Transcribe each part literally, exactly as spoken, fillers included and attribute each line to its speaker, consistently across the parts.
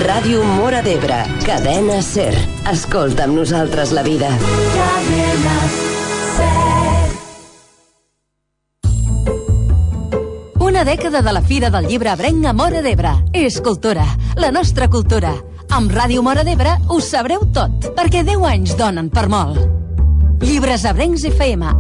Speaker 1: Ràdio Móra d'Ebre, Cadena Ser. Escolta amb nosaltres la vida. Cadena Ser.
Speaker 2: Una dècada de la Fira del Llibre Ebrenc a Móra d'Ebre. És cultura, la nostra cultura. Amb Ràdio Móra d'Ebre ho sabreu tot, perquè deu anys donen per molt. Llibres Ebrencs F M.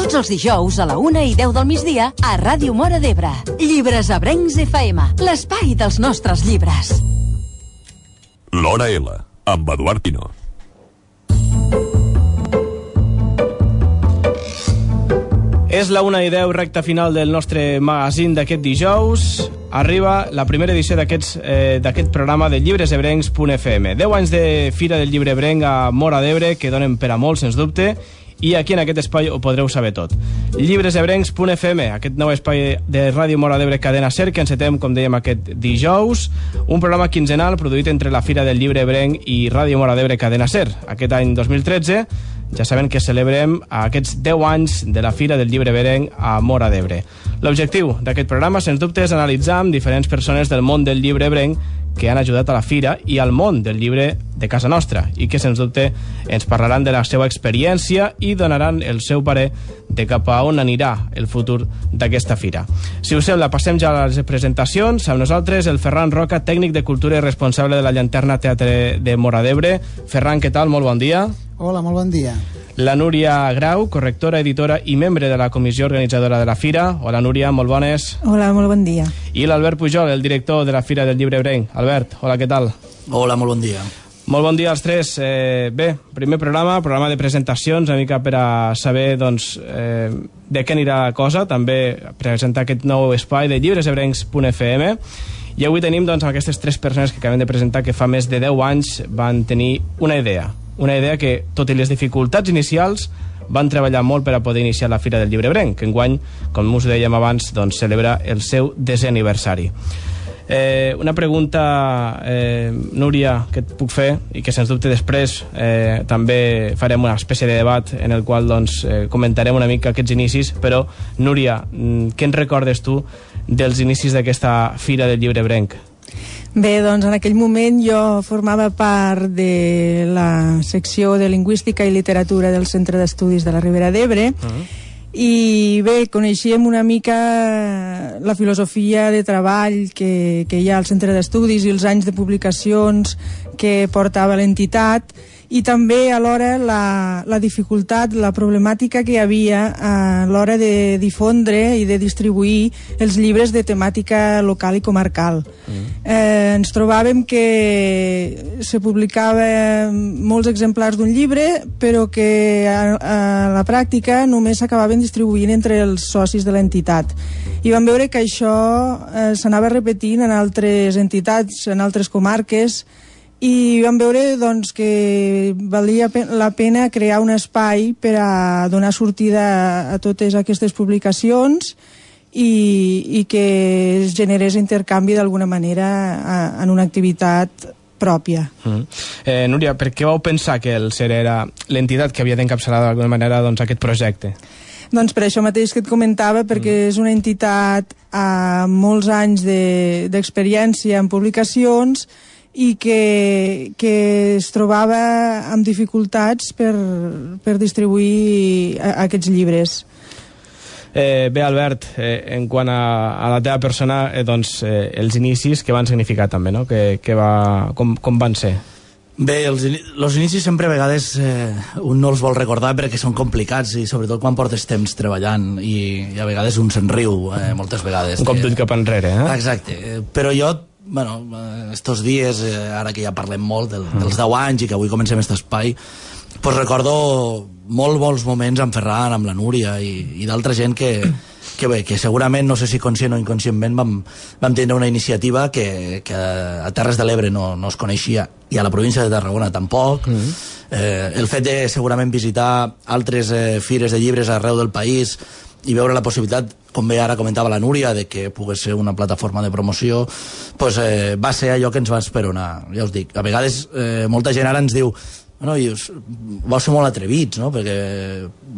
Speaker 2: Tots els dijous a la una i deu del migdia a Ràdio Móra d'Ebre. Llibres Ebrencs F M, l'espai dels nostres llibres.
Speaker 3: L'Hora L, amb Eduard Pino.
Speaker 4: És la una i deu, recta final del nostre magazín d'aquest dijous. Arriba la primera edició d'aquest eh, d'aquest programa de llibres ebrencs punt f m. deu anys de Fira del Llibre Ebrenc a Móra d'Ebre, que donen per a molt, sens dubte, i aquí en aquest espai ho podreu saber tot. llibres ebrencs punt f m, aquest nou espai de Ràdio Móra d'Ebre Cadena Ser, que encetem, com dèiem, aquest dijous, un programa quinzenal produït entre la Fira del Llibre Ebrenc i Ràdio Móra d'Ebre Cadena Ser. Aquest any dos mil tretze ja saben que celebrem aquests deu anys de la Fira del Llibre Ebrenc a Móra d'Ebre. L'objectiu d'aquest programa, sens dubte, és analitzar amb diferents persones del món del llibre ebrenc que han ajudat a la Fira i al món del llibre de casa nostra i que, sens dubte, ens parlaran de la seva experiència i donaran el seu parer de cap a on anirà el futur d'aquesta Fira. Si us sembla, passem ja a les presentacions. Amb nosaltres el Ferran Roca, tècnic de cultura i responsable de la Llanterna Teatre de Móra d'Ebre. Ferran, què tal? Molt bon dia.
Speaker 5: Hola, molt bon dia.
Speaker 4: La Núria Grau, correctora, editora i membre de la comissió organitzadora de la Fira. Hola, Núria, molt bones.
Speaker 6: Hola, molt bon dia.
Speaker 4: I l'Albert Pujol, el director de la Fira del Llibre Ebrenc. Albert, hola, què tal?
Speaker 7: Hola, molt bon dia.
Speaker 4: Molt bon dia als tres. Eh, bé, primer programa, programa de presentacions, una mica per a saber doncs, eh, de què anirà la cosa, també presentar aquest nou espai de llibres ebrencs punt f m. I avui tenim doncs, aquestes tres persones que acabem de presentar que fa més de deu anys van tenir una idea. Una idea que, tot i les dificultats inicials, van treballar molt per a poder iniciar la Fira del Llibre Ebrenc, que enguany, com us dèiem abans, doncs, celebra el seu desè aniversari. Eh, una pregunta, eh, Núria, que et puc fer, i que sens dubte després eh, també farem una espècie de debat en el qual doncs, eh, comentarem una mica aquests inicis, però, Núria, què en recordes tu dels inicis d'aquesta Fira del Llibre Ebrenc?
Speaker 6: Bé, doncs en aquell moment jo formava part de la secció de Lingüística i Literatura del Centre d'Estudis de la Ribera d'Ebre. Uh-huh. I bé, coneixíem una mica la filosofia de treball que, que hi ha al Centre d'Estudis i els anys de publicacions que portava l'entitat, i també alhora la, la dificultat, la problemàtica que hi havia a l'hora de difondre i de distribuir els llibres de temàtica local i comarcal. Mm. Eh, ens trobàvem que se publicava molts exemplars d'un llibre, però que a, a la pràctica només s'acabaven distribuint entre els socis de l'entitat. I vam veure que això eh, s'anava repetint en altres entitats, en altres comarques, i vam veure doncs, que valia la pena crear un espai per a donar sortida a totes aquestes publicacions i, i que es generés intercanvi d'alguna manera a, en una activitat pròpia.
Speaker 4: Mm. Eh, Núria, per què vau pensar que el SER era l'entitat que havia d'encapçalar d'alguna manera doncs, aquest projecte?
Speaker 6: Doncs per això mateix que et comentava, perquè mm. és una entitat amb molts anys d'experiència de, en publicacions i que, que es trobava amb dificultats per, per distribuir a, a aquests llibres.
Speaker 4: Eh, bé, Albert, eh, en quant a, a la teva persona, eh, doncs, eh, els inicis, què van significar també, no? Que, que va, com, com van ser?
Speaker 7: Bé, els, els inicis sempre a vegades eh, un no els vol recordar perquè són complicats i sobretot quan portes temps treballant i, i a vegades un se'n riu, eh, moltes vegades.
Speaker 4: Un cop d'ull cap enrere, eh?
Speaker 7: Exacte, però jo bueno, estos dies, eh, ara que ja parlem molt del, dels deu anys i que avui comencem aquest espai, pues recordo molt bons moments amb Ferran, amb la Núria i, i d'altra gent que, que bé, que segurament, no sé si conscient o inconscientment, vam, vam tenir una iniciativa que, que a Terres de l'Ebre no, no es coneixia i a la província de Tarragona tampoc. Mm-hmm. eh, el fet de segurament visitar altres eh, fires de llibres arreu del país i veure la possibilitat, com bé ara comentava la Núria, de que pogués ser una plataforma de promoció, pues, eh, va ser allò que ens va esperonar. Ja us dic, a vegades eh, molta gent ara ens diu bueno, i us, vau ser molt atrevits, no? Perquè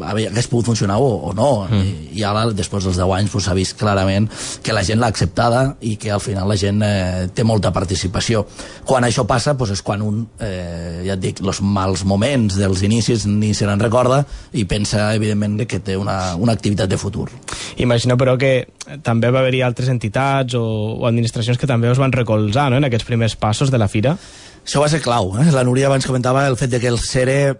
Speaker 7: hagués pogut funcionar o, o no, mm. I, i ara, després dels deu anys, pues, s'ha vist clarament que la gent l'ha acceptada i que al final la gent eh, té molta participació. Quan això passa, pues, és quan un, eh, ja et dic, els mals moments dels inicis ni se n'en recorda i pensa, evidentment, que té una, una activitat de futur.
Speaker 4: Imagino, però, que també va haver-hi altres entitats o, o administracions que també us van recolzar, no?, en aquests primers passos de la fira.
Speaker 7: Això va ser clau, eh? La Núria abans comentava el fet de que el CERE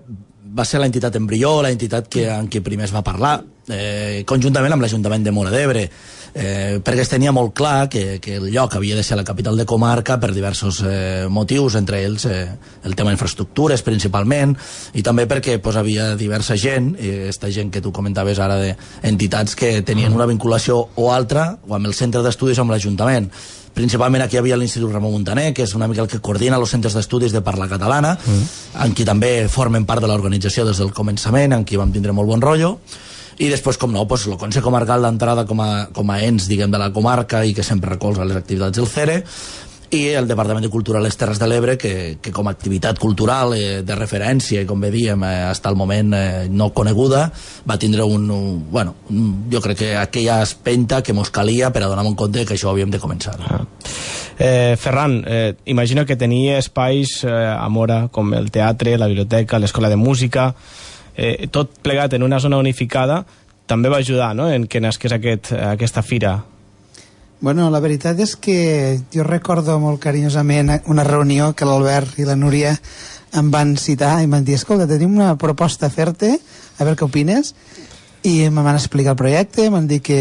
Speaker 7: va ser la entitat embrió, la entitat que, en què primer es va parlar, eh, conjuntament amb l'Ajuntament de Móra d'Ebre, eh, perquè es tenia molt clar que, que el lloc havia de ser la capital de comarca per diversos eh, motius, entre ells eh, el tema d'infraestructures principalment, i també perquè pues, havia diversa gent, eh, esta gent que tu comentaves ara d'entitats que tenien una vinculació o altra, o amb el centre d'estudis o amb l'Ajuntament. Principalment aquí hi havia l'Institut Ramon Muntaner, que és una mica el que coordina els centres d'estudis de parla catalana, mm. en qui també formen part de l'organització des del començament, en qui vam tindre molt bon rotllo, i després, com no, pues, el Consell Comarcal d'entrada com, a, com a ens, diguem, de la comarca i que sempre recolza les activitats del CERE, i el Departament de Cultura a les Terres de l'Ebre, que, que com a activitat cultural eh, de referència, i com bé diem, eh, fins al moment eh, no coneguda, va tindre un, un, bueno, un, jo crec que aquella espenta que mos calia per a donar en compte que això havíem de començar.
Speaker 4: Ah. Eh, Ferran, eh, imagino que tenia espais eh, a Móra, com el teatre, la biblioteca, l'escola de música, eh, tot plegat en una zona unificada, també va ajudar, no?, en que nasqués aquest, aquesta fira.
Speaker 5: Bueno, la veritat és que jo recordo molt carinyosament una reunió que l'Albert i la Núria em van citar i em van dir, escolta, tenim una proposta a fer-te, a veure què opines, i em van explicar el projecte, em van dir que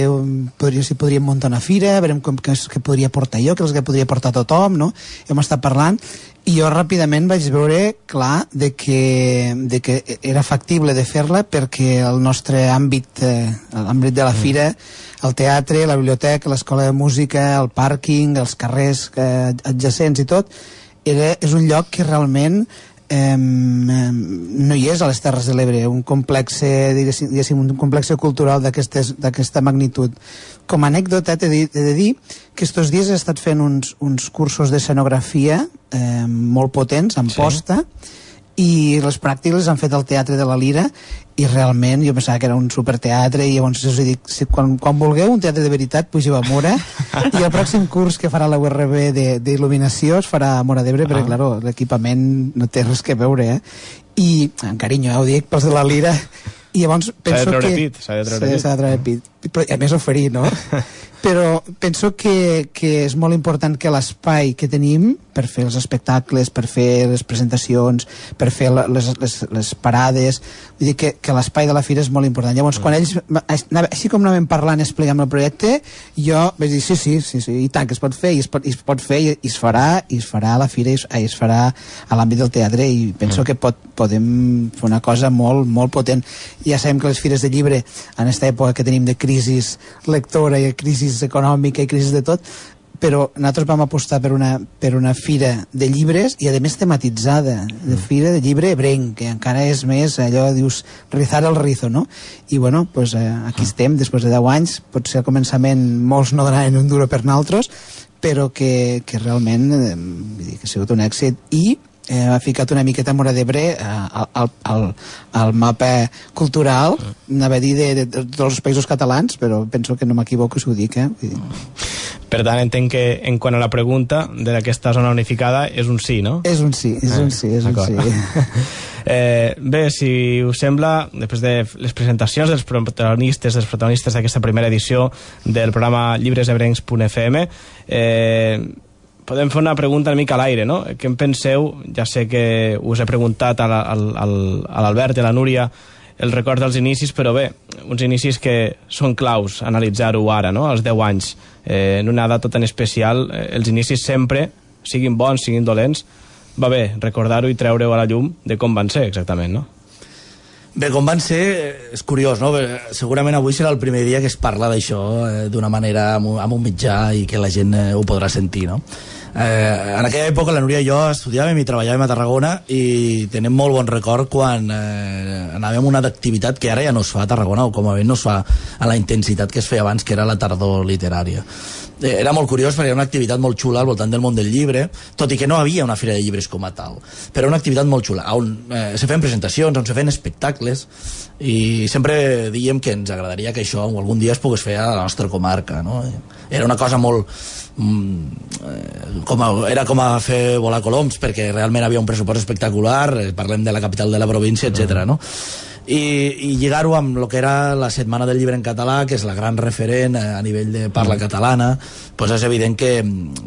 Speaker 5: podria, si podríem muntar una fira, a veure com, què, què podria portar jo, què és que podria portar tothom, no? I hem estat parlant, i jo ràpidament vaig veure clar de que, de que era factible de fer-la perquè el nostre àmbit, eh, l'àmbit de la fira, el teatre, la biblioteca, l'escola de música, el pàrquing, els carrers eh, adjacents i tot, era, és un lloc que realment eh, no hi és a les Terres de l'Ebre, un complex, diguéssim, un complex cultural d'aquesta magnitud. Com a anècdota t'he de, de dir que estos dies he estat fent uns, uns cursos d'escenografia eh, molt potents, en posta, sí. I les pràctiques han fet al Teatre de la Lira i realment jo pensava que era un superteatre i llavors us dic, si, quan, quan vulgueu un teatre de veritat pugeu a Móra i el pròxim curs que farà la U R B d'il·luminació es farà a Móra d'Ebre, ah. perquè clar, l'equipament no té res que veure, eh? I en carinyo, eh, ho dic pels de la Lira, i llavors penso que
Speaker 4: s'ha de treure pit,
Speaker 5: s'ha de treure pit, però a més oferir, no? Però penso que, que és molt important que l'espai que tenim per fer els espectacles, per fer les presentacions, per fer les, les, les parades, vull dir que, que l'espai de la fira és molt important. Llavors, quan ells, així com anàvem parlant i explicant el projecte, jo vaig dir, sí, sí, sí, sí, i tant, que es pot fer, i es pot, i es pot fer, i es farà, i es farà a la fira, i es, i es farà a l'àmbit del teatre, i penso que pot, podem fer una cosa molt, molt potent. Ja sabem que les fires de llibre, en aquesta època que tenim de crisi lectora i crisi econòmica i crisi de tot, però nosaltres vam apostar per una, per una fira de llibres i a més tematitzada, de fira de llibre ebrenc, que encara és més allò, dius, rizar el rizo, no? I bueno, pues, eh, aquí estem, després de deu anys, potser al començament molts no donaven un duro per nosaltres, però que, que realment eh, vull dir, que ha sigut un èxit i eh, ha ficat una miqueta Móra d'Ebre eh, al, al, al mapa cultural, anava a dir de, de, de tots els països catalans, però penso que no m'equivoco si ho dic, eh? Vull dir.
Speaker 4: Per tant, entenc que en quant a la pregunta d'aquesta zona unificada és un sí, no?
Speaker 5: És un sí, és eh, un sí, és un sí.
Speaker 4: eh, bé, si us sembla, després de les presentacions dels protagonistes dels protagonistes d'aquesta primera edició del programa llibres ebrencs punt f m, eh, podem fer una pregunta una mica a l'aire, no? Què en penseu? Ja sé que us he preguntat a l'Albert i a la Núria el record dels inicis, però bé, uns inicis que són claus analitzar-ho ara, no? Als deu anys, eh, en una data tan especial, eh, els inicis sempre, siguin bons, siguin dolents, va bé recordar-ho i treure-ho a la llum de com van ser exactament, no?
Speaker 7: Bé, com van ser, és curiós, no? Segurament avui serà el primer dia que es parla d'això eh, d'una manera amb, amb un mitjà i que la gent eh, ho podrà sentir, no? Eh, en aquella època la Núria i jo estudiàvem i treballàvem a Tarragona i tenem molt bon record quan eh, anàvem a una activitat que ara ja no es fa a Tarragona, o com a bé no es fa a la intensitat que es feia abans, que era la tardor literària. era molt curiós perquè era una activitat molt xula al voltant del món del llibre, tot i que no havia una fira de llibres com a tal, però una activitat molt xula on eh, se feien presentacions, on se feien espectacles, i sempre diem que ens agradaria que això algun dia es pogués fer a la nostra comarca, no? Era una cosa molt mm, com a, era com a fer volar coloms, perquè realment havia un pressupost espectacular, eh, parlem de la capital de la província, etcètera, no? i, i lligar-ho amb el que era la Setmana del Llibre en Català, que és la gran referent a nivell de parla catalana, pues és evident que,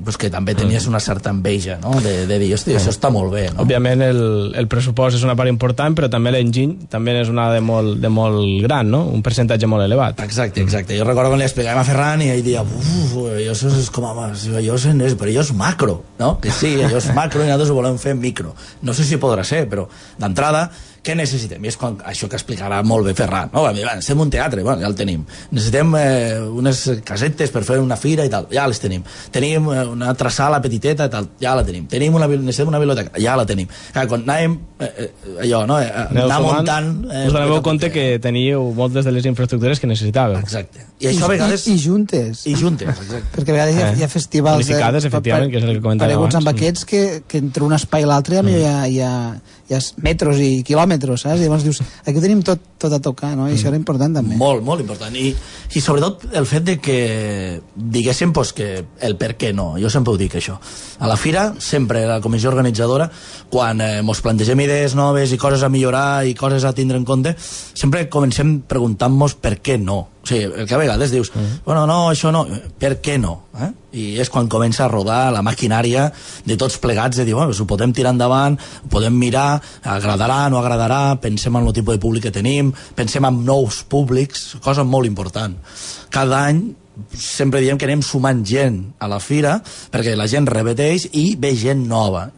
Speaker 7: pues que també tenies una certa enveja, no? de, de dir, hosti, això està molt bé, no?
Speaker 4: Òbviament el, el pressupost és una part important, però també l'enginy també és una de molt, de molt gran, no? Un percentatge molt elevat.
Speaker 7: Exacte, exacte. Jo recordo quan li explicàvem a Ferran i ell deia, uf, això és com a... Allò és, però allò és macro, no? Que sí, allò és macro i nosaltres ho volem fer micro. No sé si podrà ser, però d'entrada què necessitem? I és quan, això que explicarà molt bé Ferran, no? Necessitem un teatre, bueno, ja el tenim. Necessitem eh, unes casetes per fer una fira i tal, ja les tenim. Tenim eh, una altra sala petiteta i tal, ja la tenim. Tenim una, necessitem una biblioteca, ja la tenim. Clar, quan anàvem, eh, allò, no? Eh, anar muntant... Eh,
Speaker 4: us doneu compte que teníeu moltes de les infraestructures que necessitàveu.
Speaker 7: Exacte. I això a vegades...
Speaker 5: I, i juntes.
Speaker 7: I juntes, exacte.
Speaker 5: Perquè a vegades hi ha, hi ha festivals...
Speaker 4: Unificades, efectivament, que és el que comentàvem abans.
Speaker 5: Pareguts amb aquests que, que entre un espai i l'altre mm. hi, ha, hi, ha, hi ha metros i quilòmetres, saps? I llavors dius, aquí ho tenim tot, tot a tocar, no? I mm. això era important també.
Speaker 7: Molt, molt important. I, i sobretot el fet de que diguéssim pues, que el per què no. Jo sempre ho dic, això. A la fira, sempre la comissió organitzadora, quan eh, mos plantegem idees noves i coses a millorar i coses a tindre en compte, sempre comencem preguntant-nos per què no. O sigui, el que a vegades dius, mm. bueno, no, això no, per què no? Eh? I és quan comença a rodar la maquinària de tots plegats, de dir, bueno, ho podem tirar endavant, ho podem mirar, agradarà, no agradarà, pensem en el tipus de públic que tenim, pensem en nous públics, cosa molt important. Cada any sempre diem que anem sumant gent a la fira perquè la gent repeteix i ve gent nova,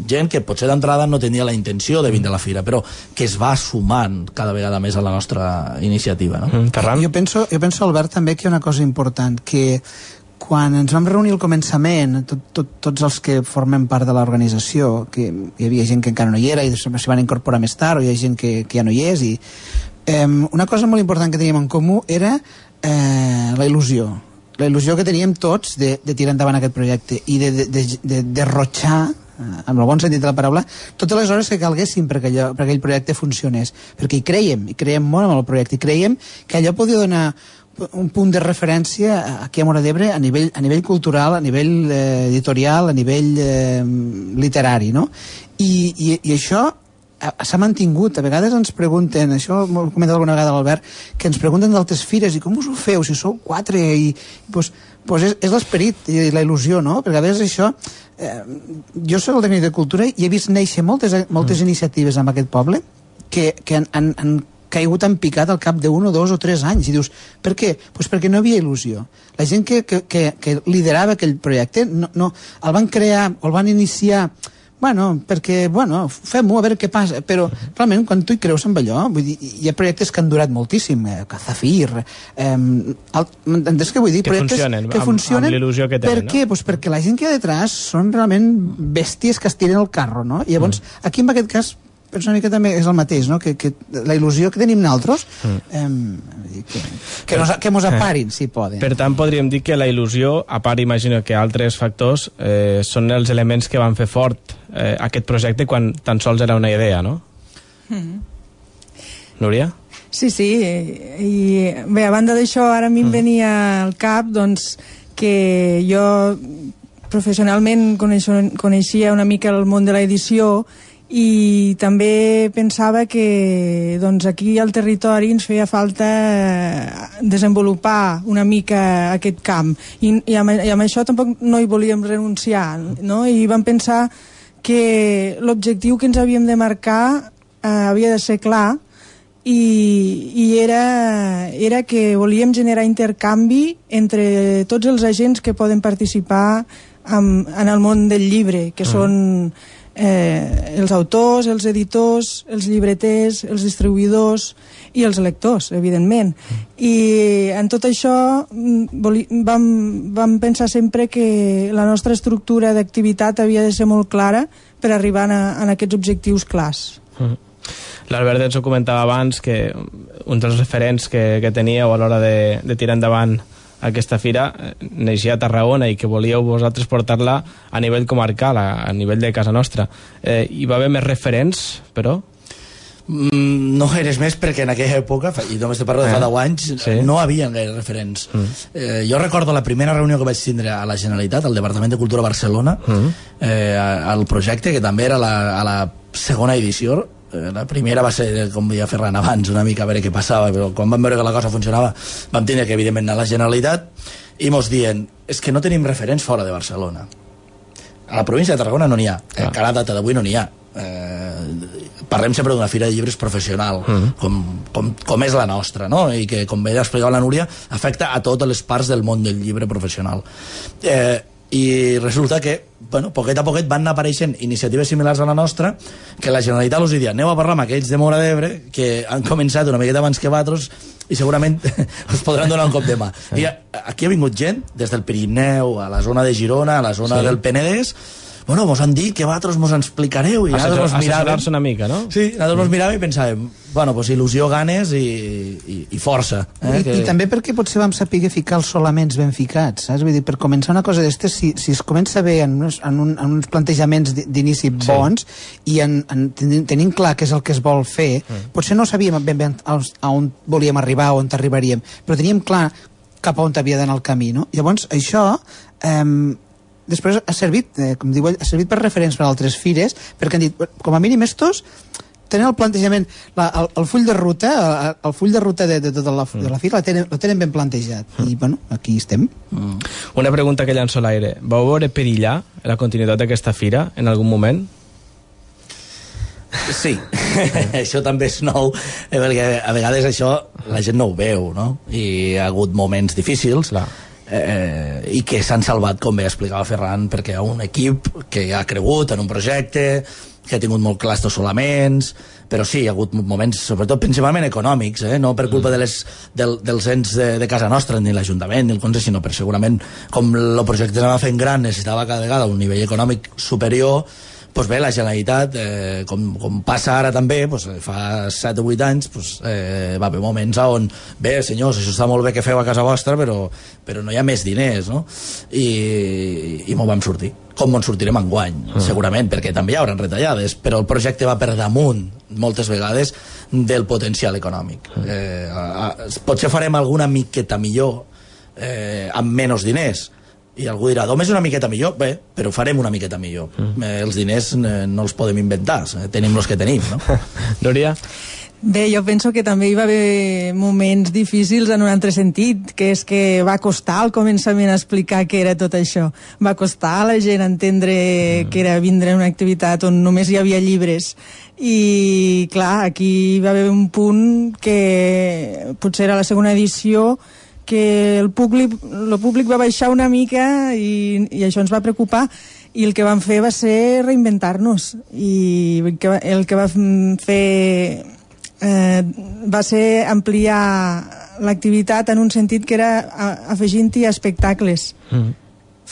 Speaker 7: gent que potser d'entrada no tenia la intenció de vindre a la fira, però que es va sumant cada vegada més a la nostra iniciativa, no?
Speaker 4: Mm, Ferran?
Speaker 5: Jo penso, jo penso, Albert, també que hi ha una cosa important, que quan ens vam reunir al començament, tot, tot, tots els que formem part de l'organització, que hi havia gent que encara no hi era i s'hi van incorporar més tard, o hi ha gent que, que ja no hi és, i eh, una cosa molt important que teníem en comú era eh, la il·lusió. La il·lusió que teníem tots de, de tirar endavant aquest projecte i de, de, de, de derrotxar, eh, amb el bon sentit de la paraula, totes les hores que calguessin perquè, allò, perquè aquell projecte funcionés. Perquè hi creiem, i creiem molt en el projecte, i creiem que allò podia donar un punt de referència aquí a Móra d'Ebre a nivell, a nivell cultural, a nivell eh, editorial, a nivell eh, literari, no? I, i, i això s'ha mantingut. A vegades ens pregunten, això m'ho ha comentat alguna vegada l'Albert, que ens pregunten d'altres fires, i com us ho feu, si sou quatre, i pues, pues és, és l'esperit i la il·lusió, no? Perquè a vegades això, eh, jo soc el tècnic de cultura i he vist néixer moltes, moltes mm. iniciatives en aquest poble que, que han, han, han caigut en picat al cap d'un o dos o tres anys, i dius, per què? Pues perquè no havia il·lusió. La gent que, que, que, que liderava aquell projecte no, no, el van crear o el van iniciar, bueno, perquè, bueno, fem-ho, a veure què passa, però realment quan tu hi creus en allò, vull dir, hi ha projectes que han durat moltíssim, eh, Cazafir, eh, entens què vull dir?
Speaker 4: Que
Speaker 5: Projectes
Speaker 4: funcionen,
Speaker 5: que
Speaker 4: amb,
Speaker 5: funcionen,
Speaker 4: amb l'il·lusió que tenen,
Speaker 5: per què? Pues perquè la gent que hi ha detrás són realment bèsties que es tiren el carro, no? I llavors, mm. aquí en aquest cas, penso una mica també és el mateix, no? Que, que la il·lusió que tenim nosaltres mm. eh, que, que, nos, que mos aparin, si poden.
Speaker 4: Per tant, podríem dir que la il·lusió, a part, imagino que altres factors, eh, són els elements que van fer fort eh, aquest projecte quan tan sols era una idea, no? Mm. Núria?
Speaker 6: Sí, sí, i bé, a banda d'això, ara a mi em venia al cap, doncs, que jo professionalment coneixia una mica el món de l'edició i també pensava que doncs, aquí al territori ens feia falta desenvolupar una mica aquest camp i, i, amb, i amb això tampoc no hi volíem renunciar, no? I vam pensar que l'objectiu que ens havíem de marcar eh, havia de ser clar i, i era, era que volíem generar intercanvi entre tots els agents que poden participar amb, en el món del llibre, que mm. són Eh, els autors, els editors, els llibreters, els distribuïdors i els lectors, evidentment. I en tot això vam, vam pensar sempre que la nostra estructura d'activitat havia de ser molt clara per arribar a, a aquests objectius clars.
Speaker 4: Mm. L'Albert ens ho comentava abans, que un dels referents que, que teníeu a l'hora de, de tirar endavant aquesta fira neixia a Tarragona i que volíeu vosaltres portar-la a nivell comarcal, a, a nivell de casa nostra. Eh, hi va haver més referents, però?
Speaker 7: Mm, no eres més perquè en aquella època, i només te parlo de fa deu anys, sí. no havia gaire referents. Mm. Eh, jo recordo la primera reunió que vaig tindre a la Generalitat, al Departament de Cultura Barcelona, mm. eh, al projecte, que també era la, a la segona edició. La primera va ser, com deia Ferran abans, una mica a veure què passava, però quan vam veure que la cosa funcionava vam tenir que evidentment anar a la Generalitat i mos dient, és que no tenim referents fora de Barcelona. A la província de Tarragona no n'hi ha, ah. encara a data d'avui no n'hi ha. Eh, parlem sempre d'una fira de llibres professional, mm. com, com, com és la nostra, no? I que, com bé explicava la Núria, afecta a totes les parts del món del llibre professional. Eh, i resulta que, bueno, poquet a poquet van apareixent iniciatives similars a la nostra, que la Generalitat us diria, aneu a parlar amb aquells de Móra d'Ebre que han començat una miqueta abans que vosaltres i segurament us podran donar un cop de mà. I aquí ha vingut gent des del Pirineu, a la zona de Girona, a la zona sí. del Penedès. Bueno, mos han dit que vosaltres mos en explicareu i nosaltres mos miràvem...
Speaker 4: Assessorar-se una mica, no?
Speaker 7: Sí, nosaltres mos miràvem i pensàvem, bueno, pues il·lusió, ganes i, i, i força. Eh,
Speaker 5: I,
Speaker 7: que...
Speaker 5: I també perquè potser vam saber ficar els solaments ben ficats, saps? Vull dir, per començar una cosa d'estes, si, si es comença bé en uns, en un, en uns plantejaments d'inici sí. bons i en, en, tenint clar què és el que es vol fer, mm. potser no sabíem ben bé a on volíem arribar, on arribaríem, però teníem clar cap a on havia d'anar el camí, no? Llavors, això... Eh, després ha servit, eh, com diu ell, ha servit per referents per a altres fires, perquè han dit, com a mínim estos tenen el plantejament, la, el, el full de ruta, el, el full de ruta de, de, de, la, de la fira la tenen, la tenen ben plantejat. I, bueno, aquí estem.
Speaker 4: Mm. Una pregunta que llanço a l'aire. Vau veure perillar la continuïtat d'aquesta fira en algun moment?
Speaker 7: Sí, això també és nou, perquè a vegades això la gent no ho veu, no? I ha hagut moments difícils. Clar. Eh, i que s'han salvat, com bé explicava Ferran, perquè hi ha un equip que ha cregut en un projecte, que ha tingut molt clars els solaments, però sí, hi ha hagut moments, sobretot principalment econòmics, eh? No per culpa de les, del, dels ens de, de casa nostra, ni l'Ajuntament, ni el Conselh, sinó per segurament, com el projecte s'anava fent gran, necessitava cada vegada un nivell econòmic superior. Pues bé, la Generalitat, eh, com, com passa ara també, pues, fa set o vuit anys, pues, eh, va haver moments on, bé, senyors, això està molt bé que feu a casa vostra, però, però no hi ha més diners, no? I, i m'ho vam sortir. Com ens sortirem enguany, mm. segurament, perquè també hi haurà retallades, però el projecte va per damunt, moltes vegades, del potencial econòmic. Mm. Eh, a, a, potser farem alguna miqueta millor eh, amb menys diners, i algú dirà, només una miqueta millor, bé, però farem una miqueta millor. Mm. Eh, els diners eh, no els podem inventar, eh, tenim els que tenim, no?
Speaker 4: Núria?
Speaker 6: Bé, jo penso que també hi va haver moments difícils en un altre sentit, que és que va costar al començament explicar què era tot això. Va costar a la gent entendre mm. que era vindre a una activitat on només hi havia llibres. I, clar, aquí va haver un punt que potser era la segona edició que el públic, el públic va baixar una mica i, i això ens va preocupar, i el que vam fer va ser reinventar-nos, i el que, el que va fer eh, va ser ampliar l'activitat en un sentit que era afegint-hi espectacles, mm.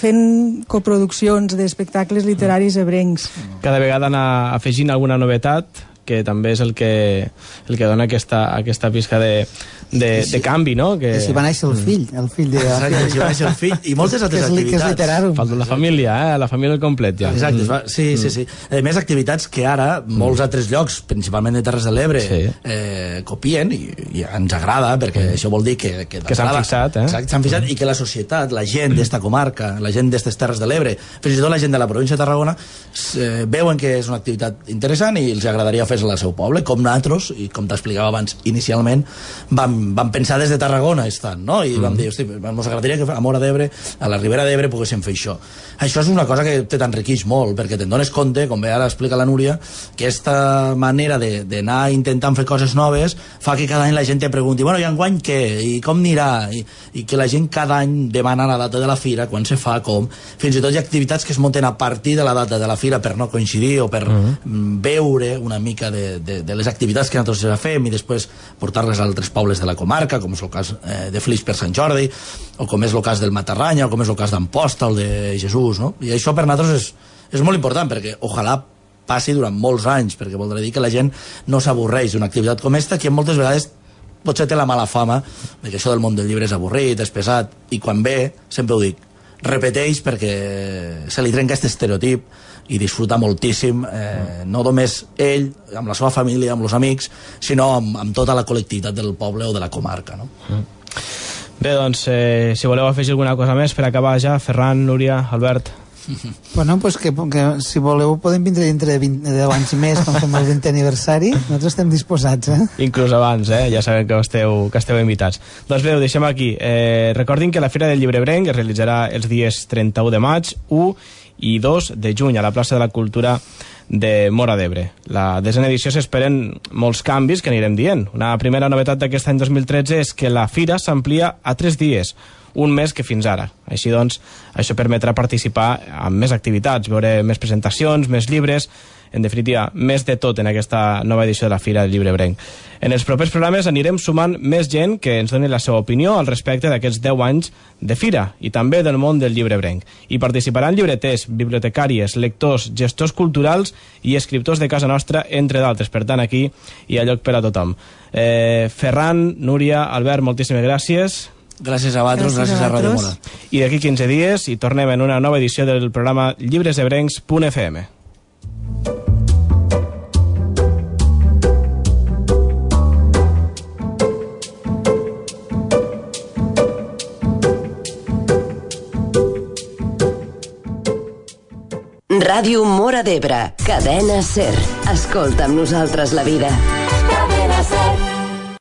Speaker 6: fent coproduccions d'espectacles literaris ebrencs.
Speaker 4: Cada vegada anar afegint alguna novetat, que també és el que, el que dona aquesta, aquesta pista de, de,
Speaker 5: si,
Speaker 4: de canvi, no? Que...
Speaker 5: I si va néixer el fill, el fill de...
Speaker 7: Exacte, si va néixer el fill, i moltes altres activitats.
Speaker 4: Falta la família, eh? La família al complet, ja.
Speaker 7: Exacte, va, sí, sí, sí. A més, activitats que ara molts altres llocs, principalment de Terres de l'Ebre, sí. eh, copien, i, i ens agrada, perquè mm. això vol dir que... Que,
Speaker 4: que s'han fixat, eh?
Speaker 7: Exacte, s'han fixat, i que la societat, la gent d'esta comarca, la gent d'estes Terres de l'Ebre, fins i tot la gent de la província de Tarragona, eh, veuen que és una activitat interessant i els agradaria fer al seu poble, com nosaltres, i com t'explicava abans inicialment, vam, vam pensar des de Tarragona estant, no? I mm. vam dir, hosti, ens agradaria que a Móra d'Ebre, a la Ribera d'Ebre, poguéssim fer això. Això és una cosa que te t'enriqueix molt, perquè te'n dones compte, com bé ara explica la Núria, que aquesta manera d'anar intentant fer coses noves fa que cada any la gent te pregunti, bueno, i enguany què? I com anirà? I, i que la gent cada any demana la data de la fira, quan se fa, com... Fins i tot hi ha activitats que es munten a partir de la data de la fira per no coincidir o per mm. veure una mica de, de, de les activitats que nosaltres fem i després portar-les a altres pobles de la comarca, com és el cas eh, de Flix per Sant Jordi, o com és el cas del Matarranya, o com és el cas d'Amposta, el de Jesús, no? I això per nosaltres és, és molt important, perquè ojalà passi durant molts anys, perquè voldrà dir que la gent no s'avorreix d'una activitat com esta, que moltes vegades potser té la mala fama de que això del món del llibre és avorrit, és pesat, i quan ve, sempre ho dic, repeteix perquè se li trenca aquest estereotip i disfruta moltíssim, eh, no només ell, amb la seva família, amb els amics, sinó amb, amb tota la col·lectivitat del poble o de la comarca, no?
Speaker 4: Mm. Bé, doncs, eh, si voleu afegir alguna cosa més per acabar ja, Ferran, Núria, Albert...
Speaker 5: Bueno, pues que, que si voleu podem vindre dintre de vint, deu anys més quan fem el vintè aniversari, nosaltres estem disposats, eh?
Speaker 4: Inclús abans, eh? Ja sabem que esteu, que esteu invitats. Doncs bé, ho deixem aquí. Eh, recordin que la Fira del Llibre Ebrenc es realitzarà els dies trenta-u de maig, u i dos de juny a la plaça de la Cultura de Móra d'Ebre. La desena edició s'esperen molts canvis que anirem dient. Una primera novetat d'aquest any dos mil tretze és que la fira s'amplia a tres dies, un mes que fins ara. Així doncs, això permetrà participar en més activitats, veure més presentacions, més llibres, en definitiva, més de tot en aquesta nova edició de la Fira del Llibre Ebrenc. En els propers programes anirem sumant més gent que ens doni la seva opinió al respecte d'aquests deu anys de Fira i també del món del llibre ebrenc. Hi participaran llibreters, bibliotecàries, lectors, gestors culturals i escriptors de casa nostra, entre d'altres. Per tant, aquí hi ha lloc per a tothom. Eh, Ferran, Núria, Albert, moltíssimes gràcies.
Speaker 7: Gràcies a vosaltres, gràcies, gràcies a, a Ràdio Mora.
Speaker 4: I d'aquí quinze dies hi tornem en una nova edició del programa llibres ebrencs punt f m.
Speaker 1: Ràdio Móra d'Ebre, cadena SER. Escolta amb nosaltres la vida.